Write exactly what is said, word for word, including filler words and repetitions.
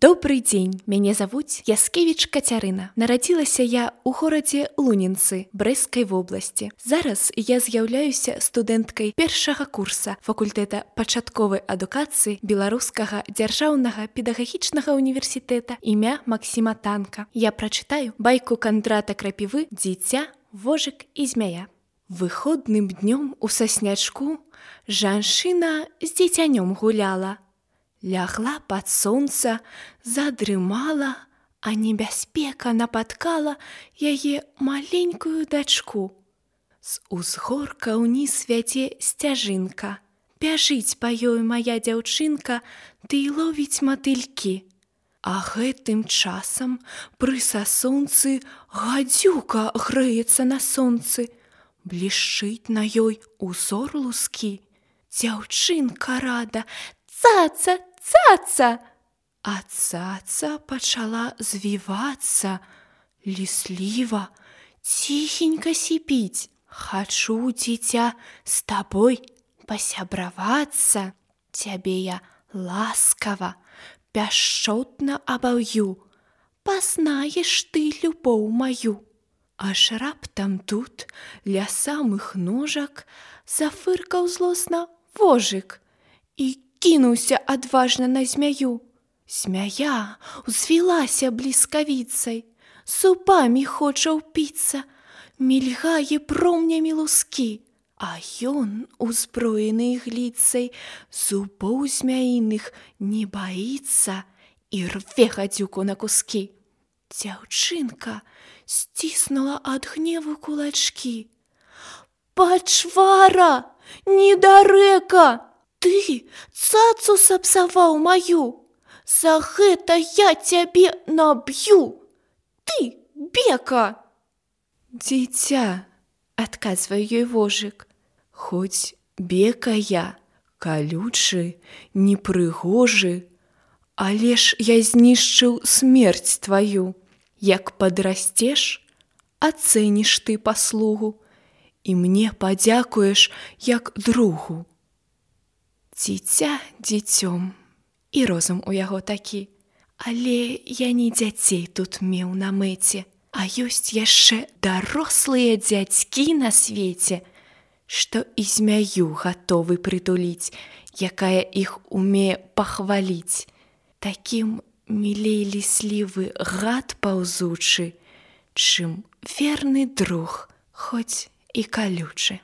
Добрый дзень, мяне завуць Яскевіч Кацярына. Нарадзілася я ў горадзе Лунінцы Брэсцкай вобласці. Зараз я з'яўляюся студэнткай першага курса факультэта пачатковай адукацыі Беларускага дзяржаўнага педагагічнага універсітэта імя Максіма Танка. Я прачытаю байку Кандрата Крапівы «Дзіця, вожык і змяя». Выходным днём у саснячку жанчына з дзіцянём гуляла. Лягла пад сонца, задрымала, а небяспека напаткала яе маленькую дачку. З узгорка ўніз вядзе сцяжынка. Бяжыць па ёй мая дзяўчынка, ды і ловіць матылькі. А гэтым часам пры сасонцы гадзюка грэецца на сонцы. Блішчыць на ёй узор лускі. Дзяўчынка рада: «Цаца, цаца!» А цаца пачала звівацца, лісліва, ціхенька сіпіць: «Хачу, дзіця, з табой пасябравацца. Цябе я ласкава, пяшчотна абаўю, пазнаеш ты любоў маю». Аж раптам тут, ля самых ножак, зафыркаў злосна вожык і кінуўся адважна на змяю. Змяя узвілася бліскавіцай, зубамі хоча ўпіцца, мільгае промнямі лускі, а ён, узброены ігліцай, зубоў змяіных не баіцца і рве гадзюку на кускі. Дзяўчынка сціснула ад гневу кулачкі. «Пачвара, недарэка! Ты цацу сапсаваў маю! За гэта я цябе наб'ю! Ты бека!» «Дзіця», — адказвае ёй вожык, «хоць бека я, калючы, непрыгожы, але ж я знішчыў смерць тваю. Як падрасцеш, ацэніш ты паслугу і мне падзякуеш як другу». Дзіця дзіцём, і розум у яго такі. Але я не дзяцей тут меў на мэце, а ёсць яшчэ дарослыя дзядзькі на свеце, што і змяю гатовы прытуліць, якая іх умее пахваліць. Такім мілей ліслівы гад паўзучы, чым верны друг, хоць і калючы.